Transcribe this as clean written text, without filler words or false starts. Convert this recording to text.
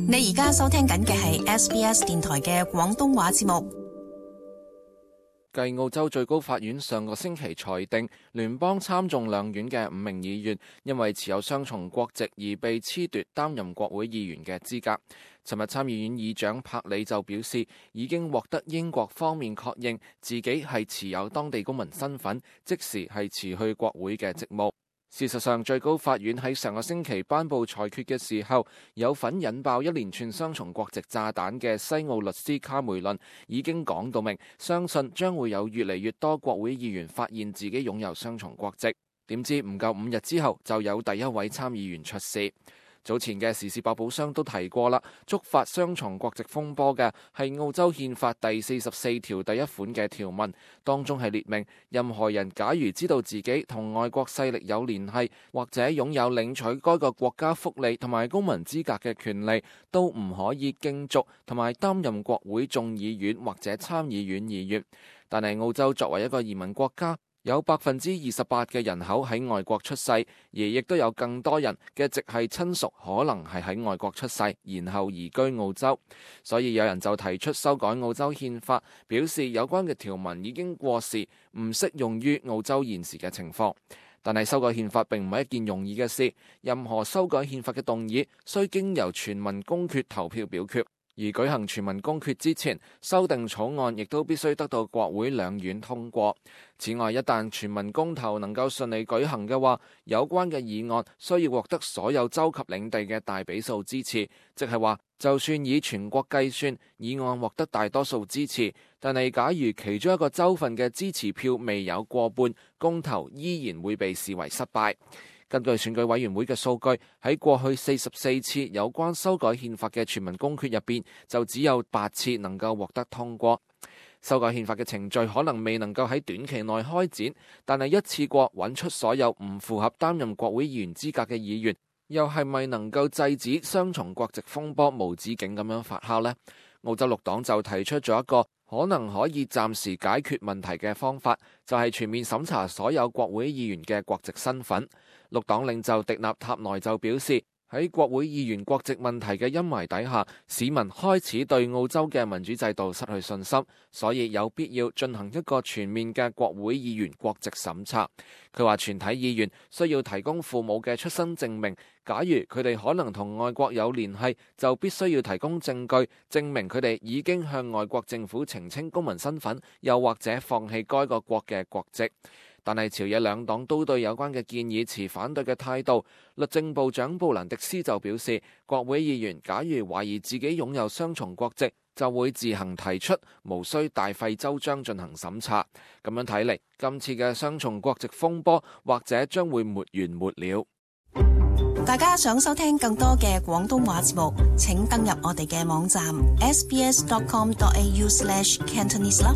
你而家收聽緊嘅係 SBS 電台嘅廣東話節目。繼澳洲最高法院上個星期裁定，聯邦參眾兩院嘅5名議員因為持有雙重國籍而被褫奪擔任國會議員嘅資格。尋日參議院議長柏里就表示，已經獲得英國方面確認自己係持有當地公民身份，即時係辭去國會嘅職務。事實上，最高法院喺上個星期頒布裁決嘅時候，有份引爆一連串雙重國籍炸彈嘅西澳律師卡梅倫已經講到明，相信將會有越嚟越多國會議員發現自己擁有雙重國籍。點知唔夠5日之後，就有第一位參議員出事。早前嘅時事百寶箱都提過啦，觸發雙重國籍風波嘅係澳洲憲法第44條第1款嘅條文，當中係列明任何人假如知道自己同外國勢力有聯繫，或者擁有領取該個國家福利同埋公民資格嘅權利，都唔可以競逐同埋擔任國會眾議院或者參議院議員。但係澳洲作為一個移民國家，有28%嘅人口喺外國出世，而亦都有更多人嘅直系親屬可能係喺外國出世，然後移居澳洲。所以有人就提出修改澳洲憲法，表示有關嘅條文已經過時，唔適用於澳洲現時嘅情況。但係修改憲法並唔係一件容易嘅事，任何修改憲法嘅動議需經由全民公決投票表決。而舉行全民公決之前，修訂草案亦都必須得到國會兩院通過。此外，一旦全民公投能夠順利舉行嘅話，有關嘅議案需要獲得所有州及領地嘅大比數支持，即係話，就算以全國計算，議案獲得大多數支持，但係假如其中一個州份嘅支持票未有過半，公投依然會被視為失敗。根據選舉委員會嘅數據，喺過去44次有關修改憲法嘅全民公決入邊，就只有8次能夠獲得通過。修改憲法嘅程序可能未能夠喺短期內開展，但係一次過揾出所有唔符合擔任國會議員資格嘅議員，又係咪能夠制止雙重國籍風波無止境咁樣發酵呢？澳洲綠黨就提出咗一個可能可以暫時解決問題嘅方法，就係全面審查所有國會議員嘅國籍身份。綠黨領袖迪納塔內就表示，喺國會議員國籍問題嘅陰霾底下，市民開始對澳洲嘅民主制度失去信心，所以有必要進行一個全面嘅國會議員國籍審查。佢話全體議員需要提供父母嘅出生證明，假如佢哋可能同外國有聯繫，就必須要提供證據證明佢哋已經向外國政府澄清公民身份，又或者放棄該個國嘅國籍。但係朝野兩黨都對有關嘅建議持反對嘅態度。律政部長布蘭迪斯就表示，國會議員假如懷疑自己擁有雙重國籍，就會自行提出，無需大費周章進行審查。咁樣睇嚟，今次嘅雙重國籍風波或者將會沒完沒了。大家想收聽更多嘅廣東話節目，請登入我哋嘅網站 sbs.com.au/cantonese 啦。